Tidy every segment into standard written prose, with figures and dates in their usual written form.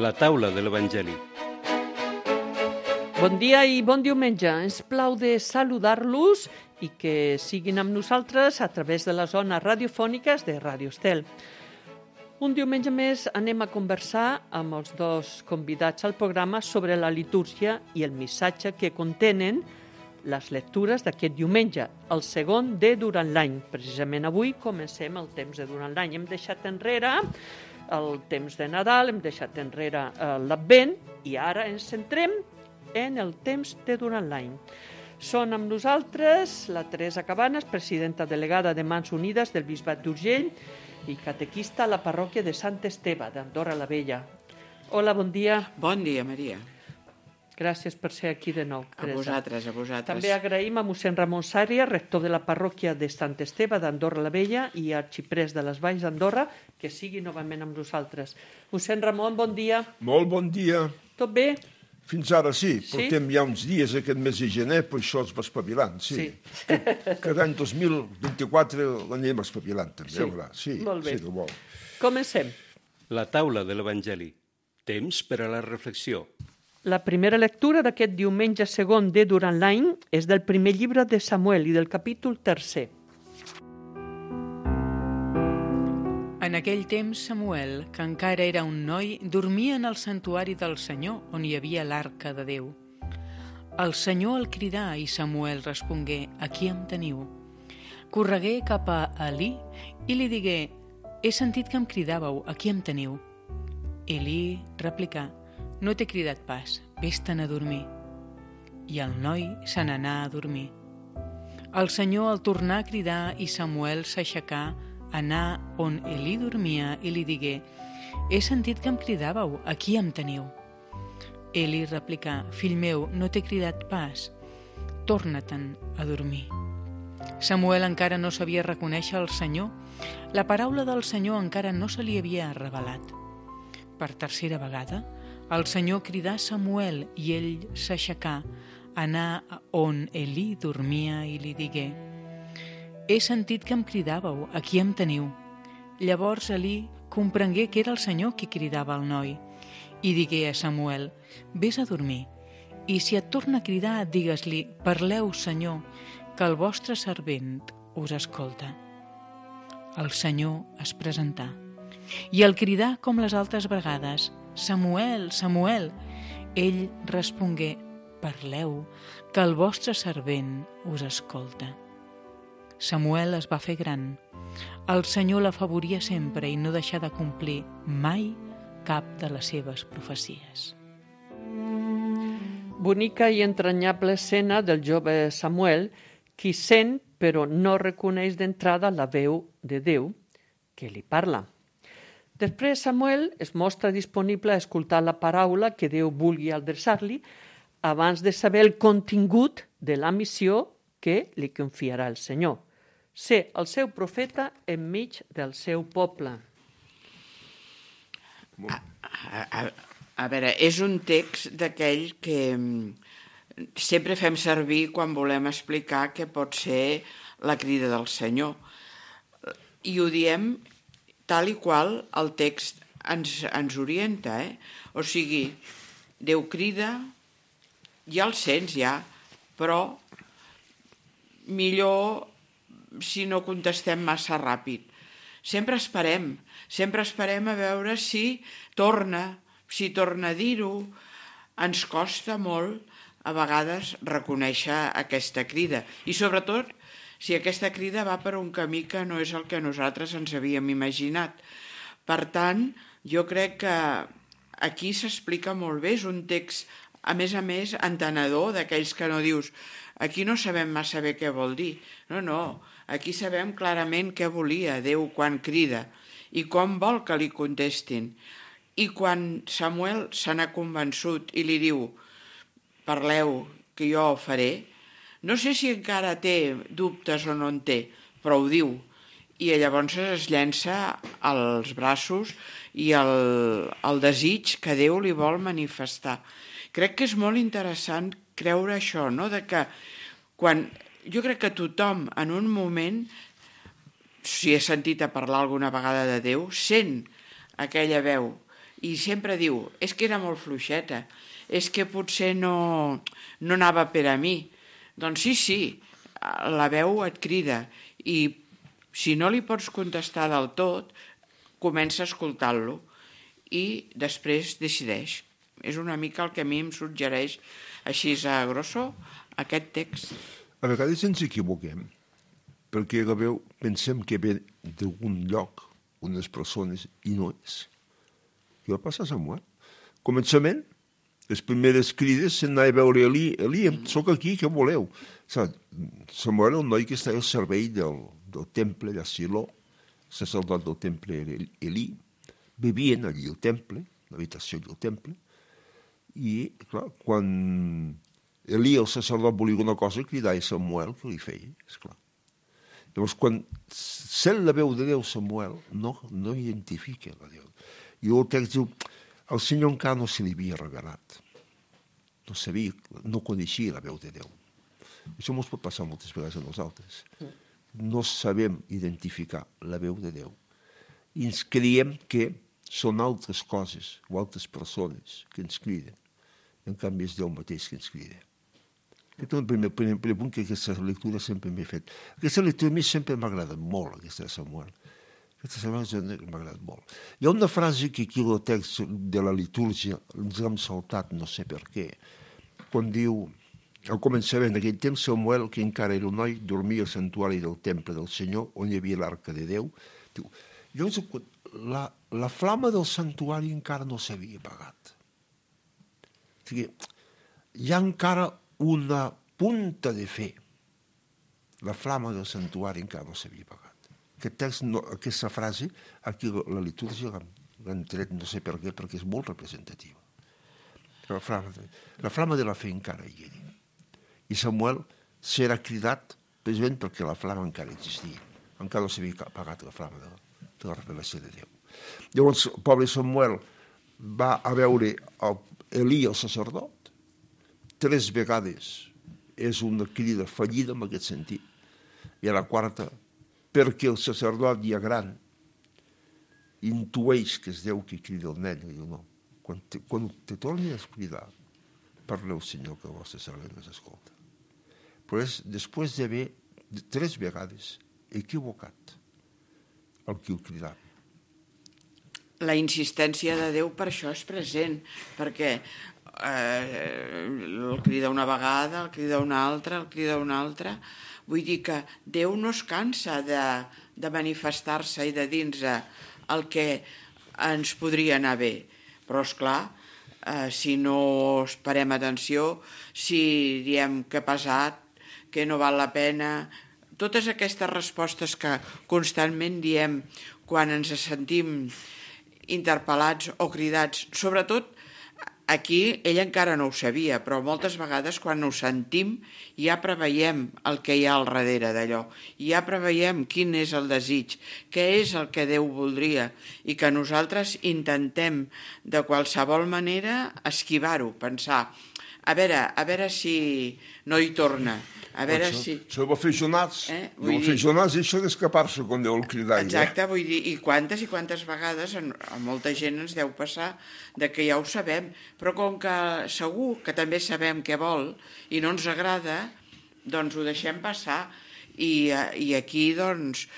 La taula de l'Evangeli. Bon dia i bon diumenge. Ens plau de saludar-los i que siguin amb nosaltres a través de les zones radiofòniques de Ràdio Estel. Un diumenge més anem a conversar amb els dos convidats al programa sobre la litúrgia i el missatge que contenen les lectures d'aquest diumenge, el segon de durant l'any. Precisament avui comencem el temps de durant l'any. Hem deixat enrere el temps de Nadal, hem deixat enrere l'Advent i ara ens centrem en el temps de durant l'any. Són amb nosaltres la Teresa Cabanes, presidenta delegada de Mans Unides del Bisbat d'Urgell i catequista a la parròquia de Sant Esteve d'Andorra la Vella. Hola, bon dia. Bon dia, Maria. Gràcies per ser aquí de nou, Teresa. A vosaltres. També agraïm a mossèn Ramon Sària, rector de la parròquia de Sant Esteve d'Andorra la Vella i arxiprés de les Valls d'Andorra, que sigui novament amb nosaltres. Mossèn Ramon, bon dia. Molt bon dia. Tot bé? Fins ara sí, portem ja uns dies aquest mes de gener, per això es va espavilant, sí. Cada any 2024 l'anem espavilant, també, sí. Sí, molt bé. Sí que vol. Comencem. La taula de l'Evangeli. Temps per a la reflexió. La primera lectura d'aquest diumenge segon de durant l'any és del primer llibre de Samuel i del capítol 3. En aquell temps, Samuel, que encara era un noi, dormia en el santuari del Senyor, on hi havia l'arca de Déu. El Senyor el cridà i Samuel respongué: «Aquí em teniu». Corregué cap a Elí i li digué: «He sentit que em cridàveu, aquí em teniu». Elí replicà: «No t'he cridat pas, vés-te'n a dormir». I el noi se n'anà a dormir. El Senyor el tornà a cridar i Samuel s'aixecà, anà on Elí dormia i li digué: «He sentit que em cridàveu, aquí em teniu». Elí replicà: «Fill meu, no t'he cridat pas, torna-te'n a dormir». Samuel encara no sabia reconèixer el Senyor. La paraula del Senyor encara no se li havia revelat. Per tercera vegada, el Senyor cridà Samuel i ell s'aixecà, anà on Elí dormia i li digué: «He sentit que em cridàveu, aquí em teniu». Llavors Elí comprengué que era el Senyor qui cridava al noi i digué a Samuel: «Vés a dormir, i si et torna a cridar, digues-li: parleu, Senyor, que el vostre servent us escolta». El Senyor es presentà i el cridà com les altres vegades: «Samuel, Samuel». Ell respongué: «Parleu, que el vostre servent us escolta». Samuel es va fer gran. El Senyor l'afavoria sempre i no deixà de complir mai cap de les seves profecies. Bonica i entranyable escena del jove Samuel, qui sent però no reconeix d'entrada la veu de Déu que li parla. Després Samuel es mostra disponible a escoltar la paraula que Déu vulgui adreçar-li abans de saber el contingut de la missió que li confiarà el Senyor. Ser el seu profeta enmig del seu poble. A veure, és un text d'aquell que sempre fem servir quan volem explicar què pot ser la crida del Senyor. I ho diem tal i qual el text ens orienta, O sigui, Déu crida, ja el sents, però millor si no contestem massa ràpid. Sempre esperem a veure si torna a dir-ho. Ens costa molt a vegades reconèixer aquesta crida i sobretot si aquesta crida va per un camí que no és el que nosaltres ens havíem imaginat. Per tant, jo crec que aquí s'explica molt bé, és un text, a més, entenedor, d'aquells que no dius aquí no sabem massa bé què vol dir. No, aquí sabem clarament què volia Déu quan crida i com vol que li contestin. I quan Samuel se n'ha convençut i li diu parleu, que jo ho faré, no sé si encara té dubtes o no en té, però ho diu. I llavors es llença als braços i el desig que Déu li vol manifestar. Crec que és molt interessant creure això, no? De que jo crec que tothom en un moment, si he sentit a parlar alguna vegada de Déu, sent aquella veu I sempre diu, és que era molt fluixeta, és que potser no anava per a mi. Doncs sí, la veu et crida i si no li pots contestar del tot, comença a escoltar-lo i després decideix. És una mica el que a mi em suggereix així a grosso aquest text. A vegades ens equivoquem, perquè la veu pensem que ve d'algun lloc, unes persones, i no és. I va passar a Samuel. Començament, les primeres crides s'anava a veure Eli, soc aquí, què voleu? Samuel era un noi que estava al servei del temple de Silo, sacerdot del temple Eli, vivien allí al temple, l'habitació del temple, i, clar, quan Eli, el sacerdot, volia una cosa, cridava a Samuel, que li feia, esclar. Llavors, quan sent la veu de Déu, Samuel no identifica la Déu. I el text diu, el Senyor encara no se li havia revelat. No sabia, no coneixia la veu de Déu. Això ens pot passar moltes vegades a nosaltres. No sabem identificar la veu de Déu. I ens creiem que són altres coses o altres persones que ens criden. En canvi, és Déu mateix que ens crida. Aquest és el primer punt que aquesta lectura sempre m'ha fet. Aquesta lectura a mi sempre m'ha agradat molt, aquesta de Samuel. Aquesta setmana m'ha agradat molt. Hi ha una frase que aquí el text de la litúrgia ens l'hem saltat, no sé per què, quan diu, al començament d'aquell temps, Samuel, que encara era un noi, dormia al santuari del temple del Senyor, on hi havia l'arca de Déu. Llavors, la flama del santuari encara no s'havia apagat. O sigui, hi ha encara una punta de fe. La flama del santuari encara no s'havia apagat. Aquesta frase, aquí la litúrgia l'han tret, no sé per què, perquè és molt representativa. La flama de la fe encara hi era. I Samuel serà cridat precisament perquè la flama encara existia. Encara no s'havia apagat la flama de la revelació de Déu. Llavors, el pobre Samuel va a veure Eli, el sacerdot, 3 vegades és una crida fallida en aquest sentit. I a la 4, perquè el sacerdot ja gran intueix que és Déu que crida el nen. I diu, no, quan te torni a cridar, parleu, Senyor, que el vostre servent us escolta. Però és després d'haver 3 vegades equivocat el que ho cridava. La insistència de Déu per això és present, perquè el crida una vegada, el crida una altra, el crida una altra. Vull dir que Déu no es cansa de manifestar-se i de dir-nos el que ens podria anar bé. Però, esclar, si no esperem atenció, si diem que ha passat, que no val la pena, totes aquestes respostes que constantment diem quan ens sentim interpel·lats o cridats, sobretot aquí ell encara no ho sabia, però moltes vegades quan ho sentim ja preveiem el que hi ha al darrere d'allò, ja preveiem quin és el desig, què és el que Déu voldria i que nosaltres intentem de qualsevol manera esquivar-ho, pensar, a veure si no hi torna, a veure si... Això va fer Jonàs. Va fer Jonàs i això d'escapar-se quan Déu el cridava. Exacte, vull dir, i quantes vegades a molta gent ens deu passar de que ja ho sabem, però com que segur que també sabem què vol i no ens agrada, doncs ho deixem passar i aquí doncs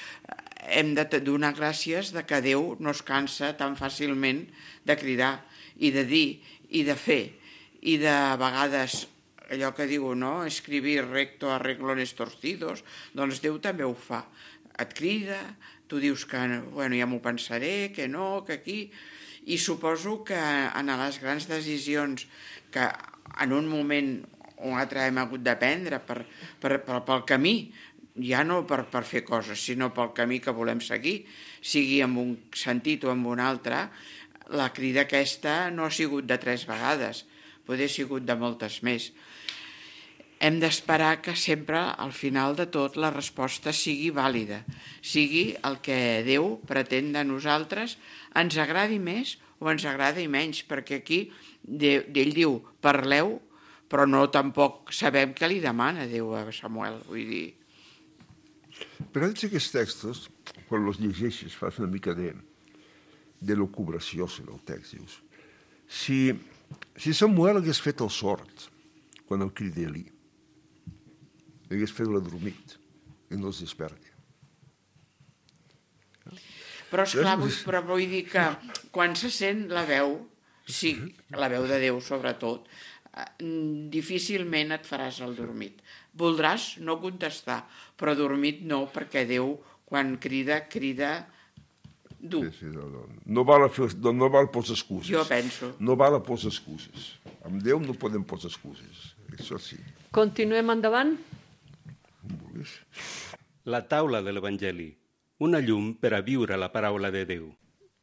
hem de donar gràcies de que Déu no es cansa tan fàcilment de cridar i de dir i de fer i de vegades allò que diu, no? Escribir recto a renglones torcidos, doncs Déu també ho fa. Et crida, tu dius que bueno, ja m'ho pensaré, que no, que aquí... I suposo que en les grans decisions que en un moment o un altre hem hagut de prendre pel camí, ja no per fer coses, sinó pel camí que volem seguir, sigui en un sentit o en un altre, la crida aquesta no ha sigut de 3 vegades, potser ha sigut de moltes més. Hem d'esperar que sempre, al final de tot, la resposta sigui vàlida, sigui el que Déu pretén de nosaltres, ens agradi més o ens agradi menys, perquè aquí ell diu, parleu, però no tampoc sabem què li demana Déu a Samuel, vull dir... Però aquests textos, quan els llegeixes, fas una mica de de lucubració sobre el text. Dius, si Samuel hagués fet el sort quan el crida Elí, hagués fet l'adormit i no es desperta. Però, esclar, vull dir que quan se sent la veu, sí, la veu de Déu sobretot, difícilment et faràs el dormit. Voldràs no contestar, però dormit no, perquè Déu, quan crida dur. Sí, no val posar excuses. Jo penso. No val posar excuses. Amb Déu no podem posar excuses. Això sí. Continuem endavant. La taula de l'Evangeli, una llum per a viure la paraula de Déu.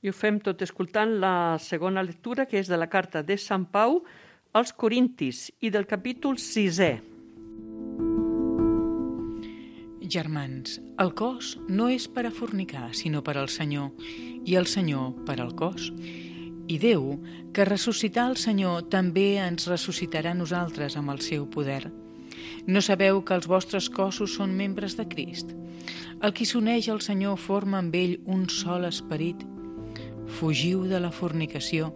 I ho fem tot escoltant la segona lectura, que és de la carta de Sant Pau als Corintis i del capítol 6è. Germans, el cos no és per a fornicar, sinó per al Senyor, i el Senyor per al cos. I Déu, que ressuscità el Senyor, també ens ressuscitarà a nosaltres amb el seu poder. No sabeu que els vostres cossos són membres de Crist? El qui s'uneix al Senyor forma amb ell un sol esperit. Fugiu de la fornicació.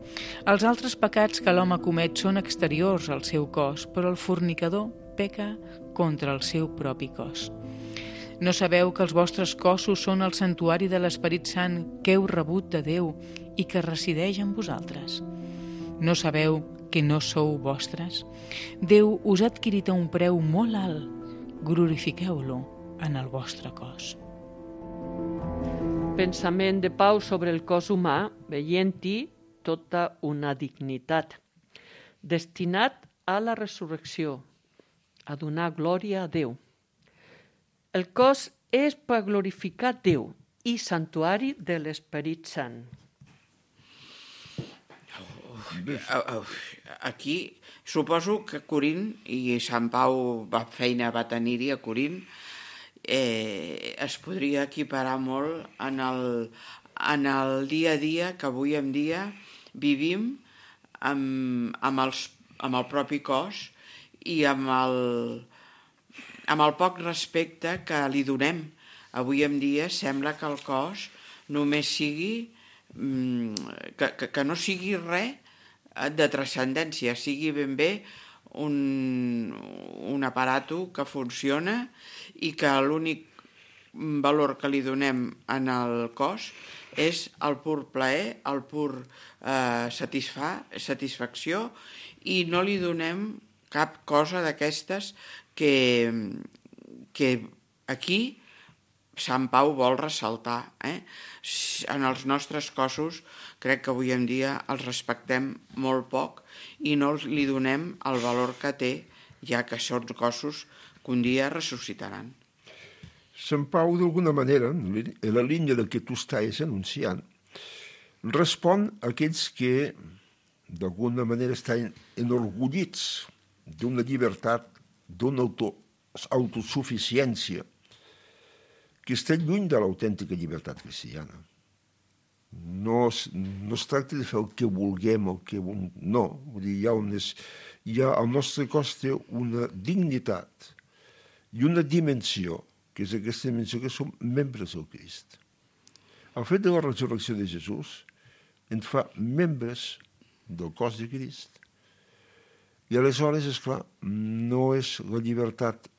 Els altres pecats que l'home comet són exteriors al seu cos, però el fornicador peca contra el seu propi cos. No sabeu que els vostres cossos són el santuari de l'Esperit Sant que heu rebut de Déu i que resideix en vosaltres? No sabeu que no sou vostres? Déu us ha adquirit a un preu molt alt. Glorifiqueu-lo en el vostre cos. Pensament de Pau sobre el cos humà, veient-hi tota una dignitat, destinat a la resurrecció, a donar glòria a Déu. El cos és per glorificar Déu i santuari de l'Esperit Sant. Aquí suposo que Corint, i Sant Pau feina va tenir-hi a Corint, es podria equiparar molt en el dia a dia que avui en dia vivim amb el propi cos i amb el poc respecte que li donem. Avui en dia sembla que el cos només sigui que no sigui res de transcendència, sigui ben bé un aparato que funciona i que l'únic valor que li donem en el cos és el pur plaer, el pur satisfacció, i no li donem cap cosa d'aquestes que aquí Sant Pau vol ressaltar. En els nostres cossos crec que avui en dia els respectem molt poc i no li donem el valor que té, ja que són cossos que un dia ressuscitaran. Sant Pau, d'alguna manera, en la línia del que tu estàs anunciant, respon a aquells que, d'alguna manera, estan enorgullits d'una llibertat, d'una autosuficiència, que està lluny de l'autèntica llibertat cristiana. No es tracta de fer el que vulguem, no. Vull dir, el nostre cos té una dignitat i una dimensió, que és aquesta dimensió que som membres del Crist. El fet de la resurrecció de Jesús ens fa membres del cos de Crist. I aleshores, esclar, no és la llibertat,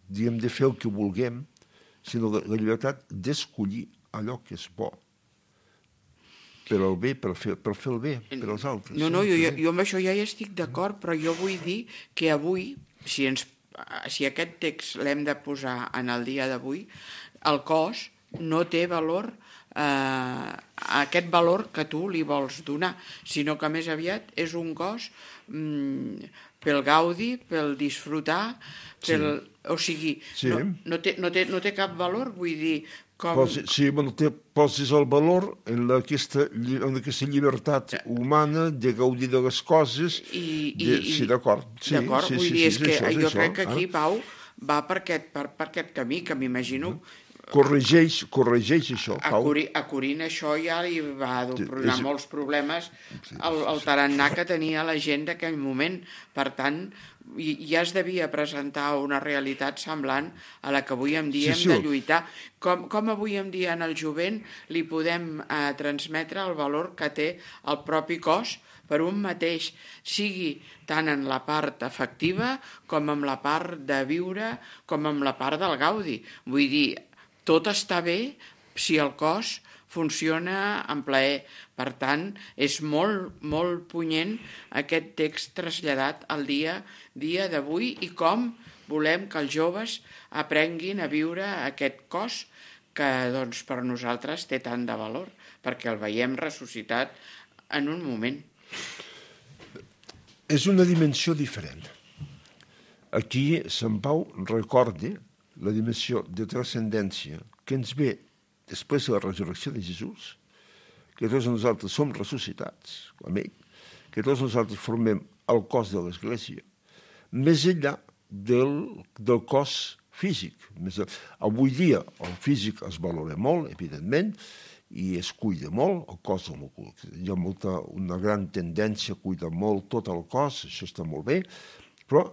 diguem, de fer el que vulguem, sinó la llibertat d'escollir allò que és bo, per al bé, per fer el bé, per als altres. No, jo amb això ja hi estic d'acord, però jo vull dir que avui, si aquest text l'hem de posar en el dia d'avui, el cos no té valor, aquest valor que tu li vols donar, sinó que més aviat és un cos pel gaudi, pel disfrutar, o sigui, no té cap valor, vull dir, com... Posis el valor en aquesta llibertat humana de gaudir de les coses. Sí, d'acord. Vull dir, és que jo crec que aquí Pau va per aquest camí, que m'imagino corregeix això, A Pau. Corint això ja li va donar molts problemes el tarannà que tenia la gent d'aquell moment. Per tant, ja es devia presentar una realitat semblant a la que avui en dia hem de lluitar. Com avui en dia en el jovent li podem transmetre el valor que té el propi cos per un mateix, sigui tant en la part afectiva com en la part de viure, com en la part del gaudi. Vull dir, tot està bé si el cos funciona en plaer. Per tant, és molt, molt punyent aquest text traslladat al dia d'avui i com volem que els joves aprenguin a viure aquest cos que doncs, per nosaltres té tant de valor, perquè el veiem ressuscitat en un moment. És una dimensió diferent. Aquí Sant Pau recorda la dimensió de transcendència que ens ve després de la resurrecció de Jesús, que tots nosaltres som ressuscitats amb ell, que tots nosaltres formem el cos de l'Església, més enllà del cos físic. Avui dia el físic es valora molt, evidentment, i es cuida molt, el cos hi ha una gran tendència a cuidar molt tot el cos, això està molt bé, però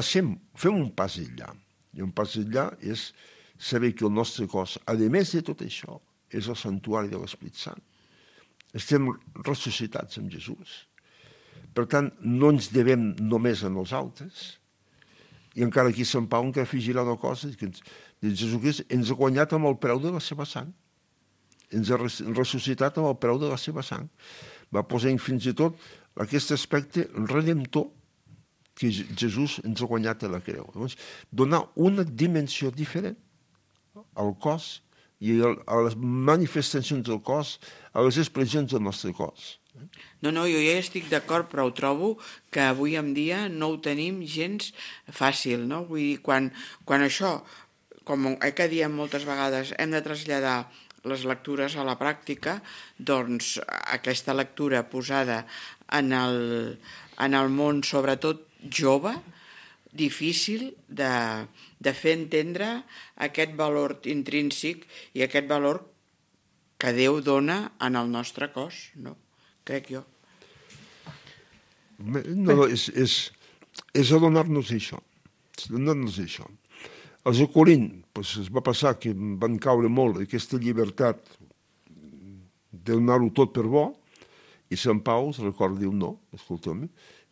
fem un pas enllà. I un pas enllà és saber que el nostre cos, a més de tot això, és el santuari de l'Espírit Sant. Estem ressuscitats amb Jesús. Per tant, no ens devem només a nosaltres, i encara aquí Sant Pau encara afegirà una cosa, que Jesucrist ens ha guanyat amb el preu de la seva sang. Ens ha ressuscitat amb el preu de la seva sang. Va posar fins i tot aquest aspecte redemptor que Jesús ens ha guanyat a la creu. Llavors, donar una dimensió diferent al cos i a les manifestacions del cos, a les expressions del nostre cos. No, jo ja estic d'acord, però ho trobo que avui en dia no ho tenim gens fàcil, no? Vull dir, quan això, com que diem moltes vegades, hem de traslladar les lectures a la pràctica, doncs aquesta lectura posada en el món, sobretot jove, difícil de fer entendre aquest valor intrínsec i aquest valor que Déu dona en el nostre cos, no? Crec jo. No, és adonar-nos això. Els de Corint es va passar que van caure molt aquesta llibertat de donar-ho tot per bo, i Sant Pau es recorda, diu no, escolta'm,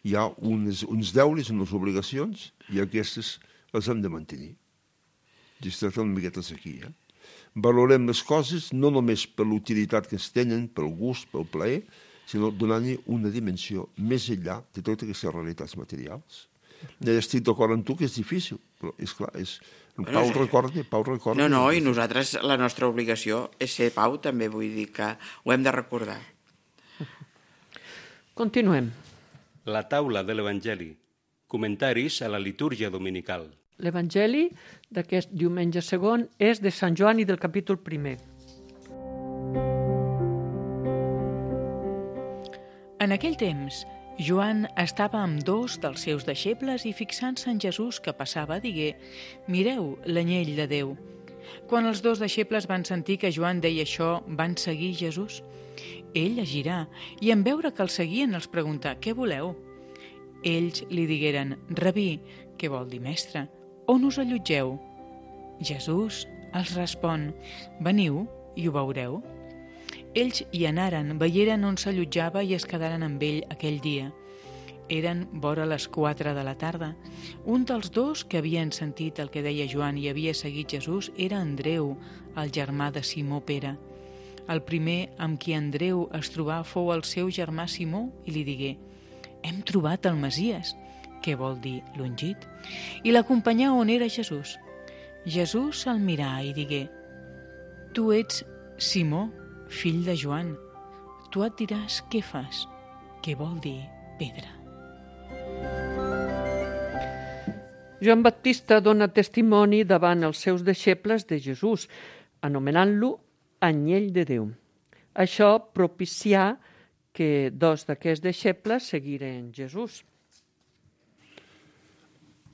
hi ha uns deures, unes obligacions, i aquestes les hem de mantenir. I es tracta una miqueta aquí. Valorem les coses no només per l'utilitat que es tenen, pel gust, pel plaer, sinó donant-hi una dimensió més enllà de totes aquestes realitats materials. Estic d'acord amb tu que és difícil, però és clar, Pau recorda. No, i nosaltres, la nostra obligació és ser Pau, també vull dir que ho hem de recordar. Continuem. La taula de l'Evangeli. Comentaris a la litúrgia dominical. L'Evangeli d'aquest diumenge segon és de Sant Joan i del capítol 1. En aquell temps, Joan estava amb 2 dels seus deixebles i fixant-se en Jesús que passava, digué: «Mireu l'anyell de Déu». Quan els 2 deixebles van sentir que Joan deia això, van seguir Jesús. Ell es girà i en veure que el seguien els preguntà: «Què voleu?» Ells li digueren: «Rabí», què vol dir mestre, «on us allotgeu?» Jesús els respon: «Veniu i ho veureu». Ells hi anaren, veieren on s'allotjava i es quedaren amb ell aquell dia. Eren vora les 4 de la tarda. Un dels 2 que havien sentit el que deia Joan i havia seguit Jesús era Andreu, el germà de Simó Pere. El primer amb qui Andreu es trobà fou el seu germà Simó i li digué: «Hem trobat el Messies», què vol dir l'ungit, i l'acompanyà on era Jesús. Jesús el mirà i digué: «Tu ets Simó, fill de Joan, tu et diràs què fas», què vol dir pedra. Joan Baptista dona testimoni davant els seus deixebles de Jesús, anomenant-lo anyell de Déu. Això propicià que 2 d'aquests deixebles seguiren Jesús.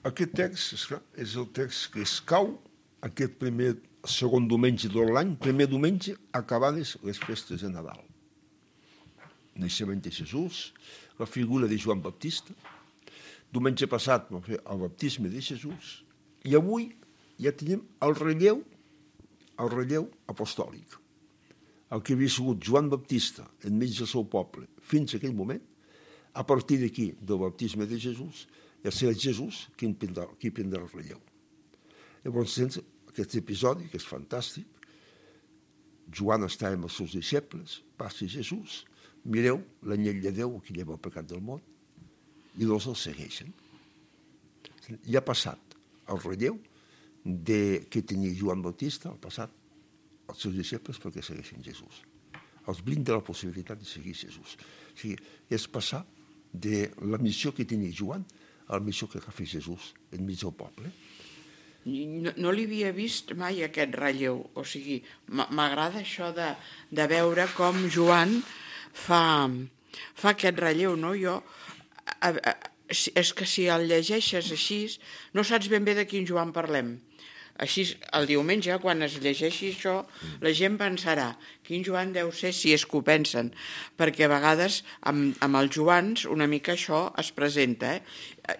Aquest text, esclar, és el text que escau aquest primer segon diumenge de l'any, primer diumenge, acabades les festes de Nadal. Naixement de Jesús, la figura de Joan Baptista. Diumenge passat vam fer el baptisme de Jesús i avui ja tenim el relleu apostòlic. El que havia sigut Joan Baptista enmig del seu poble fins a aquell moment, a partir d'aquí, del baptisme de Jesús, ja serà Jesús qui prendrà el relleu. Llavors tens aquest episodi, que és fantàstic. Joan està amb els seus deixebles, passa Jesús, mireu l'anyell de Déu que lleva el pecat del món, i dos el segueixen. Ja ha passat el relleu que tenia Joan Bautista, al passat, els seus deixebles perquè segueixen Jesús. Els brinda la possibilitat de seguir Jesús. O sigui, és passar de la missió que tenia Joan a la missió que va fer Jesús enmig del poble. No li havia vist mai aquest relleu. O sigui, m'agrada això de veure com Joan fa aquest relleu, no? És que si el llegeixes així, no saps ben bé de quin Joan parlem. Així, el diumenge, quan es llegeixi això, la gent pensarà quin Joan deu ser, si és que ho pensen, perquè a vegades amb els Joans una mica això es presenta.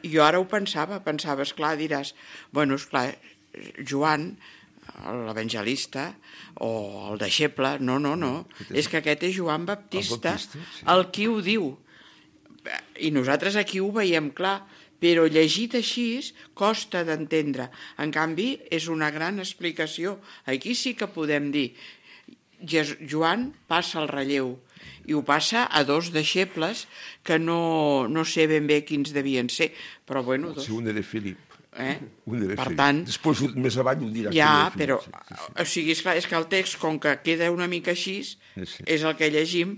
Jo ara ho pensava, esclar, diràs, bueno, esclar, Joan, l'evangelista o el deixeble, no, és que aquest és Joan Baptista, el qui ho diu. I nosaltres aquí ho veiem clar, però llegit així costa d'entendre. En canvi, és una gran explicació. Aquí sí que podem dir, Joan passa el relleu, i ho passa a dos deixebles que no sé ben bé quins devien ser, però bueno... Sí, un era Filip. Per tant... Després, més avall, ho dirà. Ja, però... O sigui, és que el text, com que queda una mica així, és el que llegim,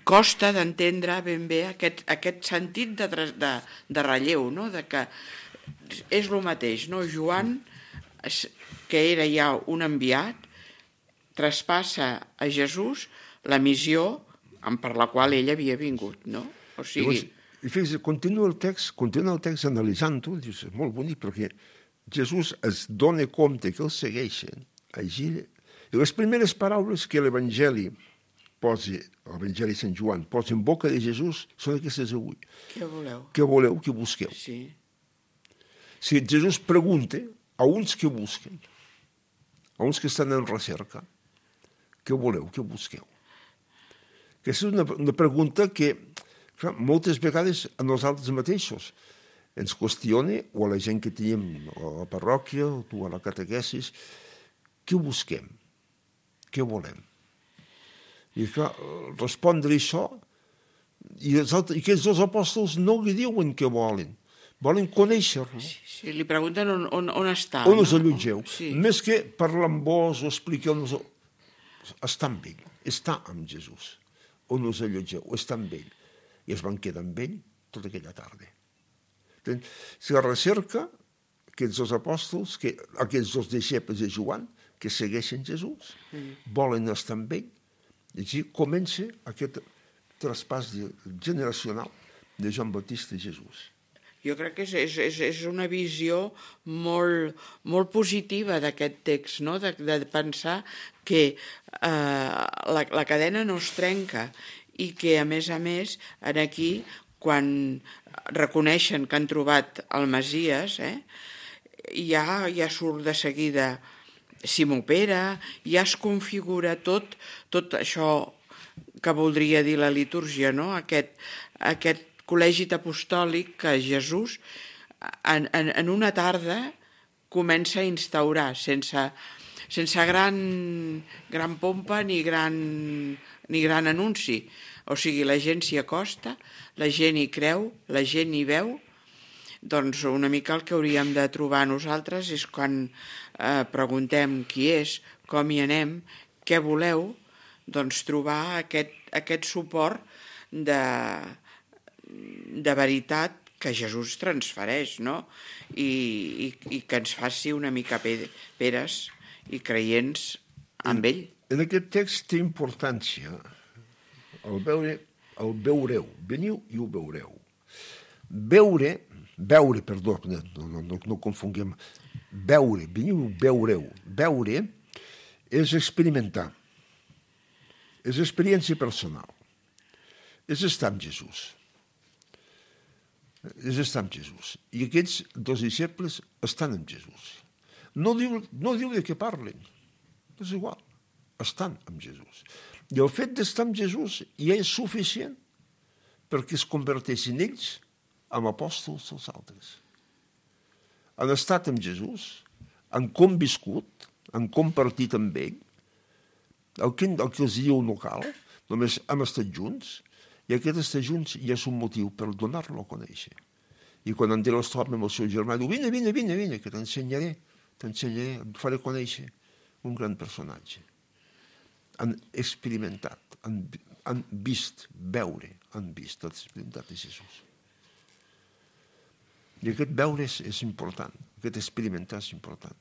costa d'entendre ben bé aquest sentit de relleu, no? De que és el mateix, no? Joan, que era ja un enviat, traspassa a Jesús la missió per la qual ell havia vingut, no? O sigui... I fixa't, continua el text analitzant-ho, dius, és molt bonic, perquè Jesús es dona compte que el segueixen, i les primeres paraules que l'Evangeli l'Evangeli de Sant Joan posa en boca de Jesús són aquestes avui. Què voleu? Què voleu, què busqueu? Sí. Si Jesús pregunta a uns que busquen, a uns que estan en recerca, què voleu, què busqueu? Aquesta és una pregunta que clar, moltes vegades a nosaltres mateixos ens qüestiona, o a la gent que tenim a la parròquia, o tu a la catequesis, què busquem? Què volem? I clar, respondre això, i aquests dos apòstols no li diuen què volen conèixer-lo. Sí, li pregunten on està. On us allotgeu. Sí. Més que parlar amb vos o expliqueu-nos... Està amb ell, està amb Jesús. On us allotgeu, està amb ell. I es van quedar amb ell tota aquella tarda. Si la recerca, aquests dos apòstols, aquests dos deixebles de Joan, que segueixen Jesús, volen estar amb ell, i així comença aquest traspàs generacional de Joan Baptista i Jesús. Jo crec que és una visió molt positiva d'aquest text, no? De pensar que la cadena no es trenca i que, a més, aquí, quan reconeixen que han trobat el Messies, ja surt de seguida Simó Pere, ja es configura tot això que voldria dir la litúrgia, no? Aquest col·legi apostòlic que Jesús en una tarda comença a instaurar sense gran pompa ni gran anunci. O sigui, la gent s'hi acosta, la gent hi creu, la gent hi veu. Doncs una mica el que hauríem de trobar nosaltres és quan preguntem qui és, com hi anem, què voleu, doncs trobar aquest suport de veritat que Jesús transfereix, no? I que ens faci una mica peres i creients amb ell. En aquest text té importància el veureu, veniu i ho veureu. Veure, no confonguem, veure, veniu, veureu. Veure és experimentar, és experiència personal, és estar amb Jesús. És estar amb Jesús. I aquests dos disciples estan amb Jesús. No diu de què parlen, és igual, estan amb Jesús. I el fet d'estar amb Jesús ja és suficient perquè es converteixin ells en apòstols dels altres. Han estat amb Jesús, han conviscut, han compartit amb ell, el que els diu no cal, només hem estat junts, i aquest estar junts ja és un motiu per donar-lo a conèixer. I quan Andreu es troba amb el seu germà, diu, vine, que t'ensenyaré, et faré conèixer un gran personatge. Han experimentat, han vist, han experimentat de Jesús. I aquest veure és important, aquest experimentar és important.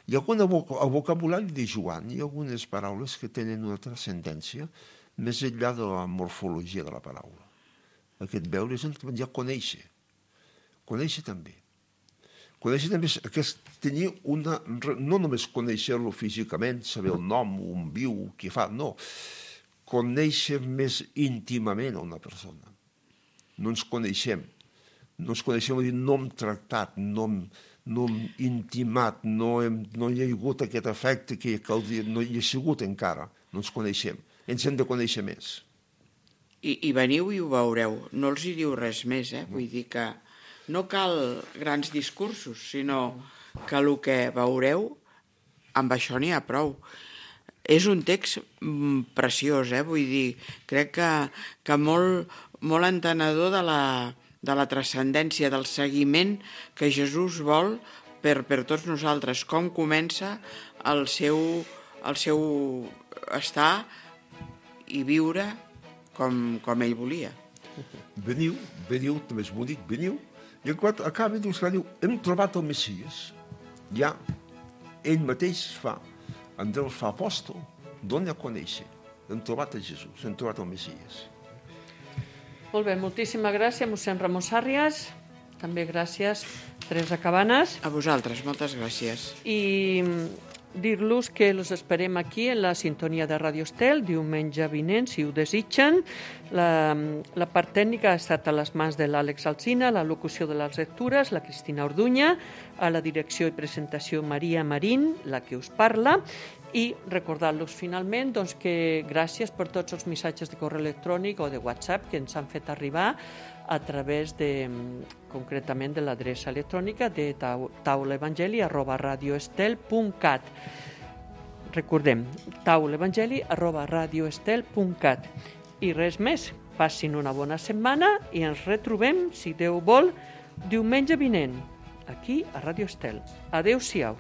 Hi ha al vocabulari de Joan hi ha algunes paraules que tenen una transcendència més enllà de la morfologia de la paraula. Aquest veure és ja conèixer. Conèixer també. Conèixer també és tenir una... No només conèixer-lo físicament, saber el nom, on viu, què fa, no. Conèixer més íntimament a una persona. No ens coneixem. No hem tractat, no hem intimat, no hi ha hagut aquest efecte que no hi ha sigut encara. No ens coneixem. Ens hem de conèixer més. I veniu i ho veureu. No els hi diu res més, Vull dir que no cal grans discursos, sinó que el que veureu, amb això n'hi ha prou. És un text preciós, vull dir, crec que molt entenedor de la transcendència, del seguiment que Jesús vol per tots nosaltres, com comença el seu estar i viure com ell volia. Veniu, també és bonic, veniu, i quan acaba diu, hem trobat el Messies. Ja, ell mateix Andreu fa apòstol, dona a conèixer. Hem trobat a Jesús, hem trobat el Messies. Molt bé, moltíssima gràcies, mossèn Ramon Sàrrias. També gràcies, Teresa Cabanes. A vosaltres, moltes gràcies. I dir-los que els esperem aquí en la sintonia de Radio Estel diumenge vinent, si ho desitgen. La part tècnica ha estat a les mans de l'Àlex Alsina, la locució de les lectures, la Cristina Orduña, a la direcció i presentació Maria Marín, la que us parla, i recordar-los finalment que gràcies per tots els missatges de correu electrònic o de WhatsApp que ens han fet arribar a través concretament de l'adreça electrònica de taulaevangeli@radioestel.cat. Recordem, taulaevangeli@radioestel.cat. I res més, passin una bona setmana i ens retrobem, si Déu vol, diumenge vinent, aquí a Radio Estel. Adéu-siau.